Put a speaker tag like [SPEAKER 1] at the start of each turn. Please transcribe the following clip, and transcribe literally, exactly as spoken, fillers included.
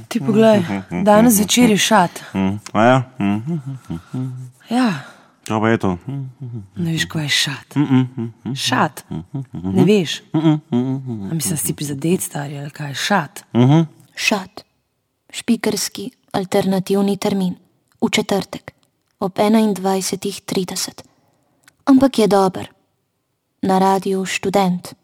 [SPEAKER 1] Ti poglej, danes zvečer je šat.
[SPEAKER 2] A ja?
[SPEAKER 1] Ja,
[SPEAKER 2] Kaj pa je to?
[SPEAKER 1] ne veš, kaj je šat. Šat, ne veš. A mislim, si prizadet, stari, ali kaj je šat?
[SPEAKER 3] Šat. Špikerski alternativni termin. V četrtek. Ob enaindvajsetih trideset. Ampak je dober. Na radiu Študent.